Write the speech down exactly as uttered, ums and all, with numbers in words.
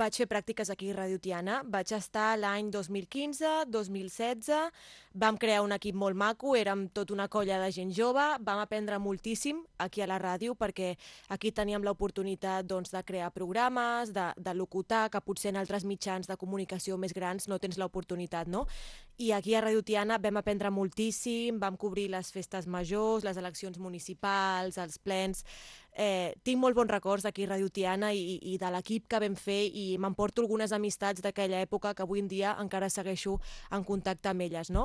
vaig fer pràctiques aquí a Ràdio Tiana. Vaig estar l'any dos mil quinze, dos mil setze, vam crear un equip molt maco, érem tot una colla de gent jove, vam aprendre moltíssim aquí a la ràdio perquè aquí teníem l'oportunitat doncs, de crear programes, de, de locutar, que potser en altres mitjans de comunicació més grans no tens l'oportunitat, no? I aquí a Ràdio Tiana vam aprendre moltíssim, vam cobrir les festes majors, les eleccions municipals, els plens. Eh, tinc molt bons records d'aquí a Ràdio Tiana i, i de l'equip que vam fer i m'emporto algunes amistats d'aquella època que avui en dia encara segueixo en contacte amb elles, no?